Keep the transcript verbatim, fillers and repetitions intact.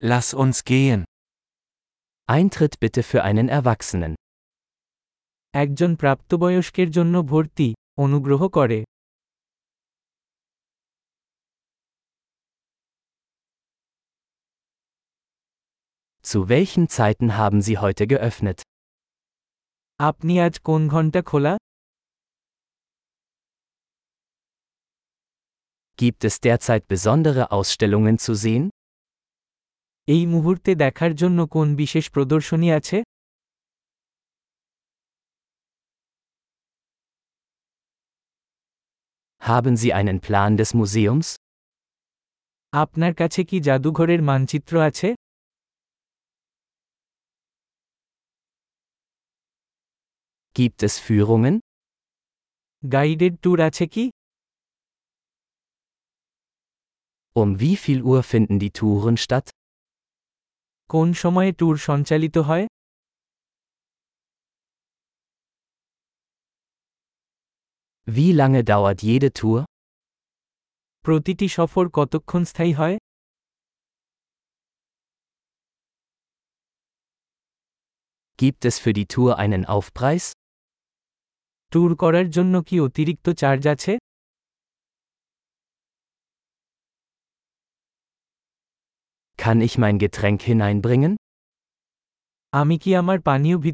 Lass uns gehen. Eintritt bitte für einen Erwachsenen. একজন প্রাপ্তবয়স্কের জন্য ভর্তি, অনুগ্রহ করে। Zu welchen Zeiten haben Sie heute geöffnet? আপনি আজ কোন ঘন্টা খোলা? Gibt es derzeit besondere Ausstellungen zu sehen? এই মুহূর্তে দেখার জন্য কোন বিশেষ প্রদর্শনী আছে? Haben Sie einen Plan des Museums? আপনার কাছে কি জাদুঘরের মানচিত্র আছে? Gibt es Führungen? Guided tour আছে কি? Um wie viel Uhr finden die Touren statt? কোন সময়ে ট্যুর সঞ্চালিত হয়? Wie lange dauert jede Tour? প্রতিটি সফর কতক্ষণ স্থায়ী হয়? Gibt es für die Tour einen Aufpreis? Tour করার জন্য কি অতিরিক্ত চার্জ আছে? Kann ich mein Getränk hineinbringen? আমি কি আমার পানীয় ভিতরে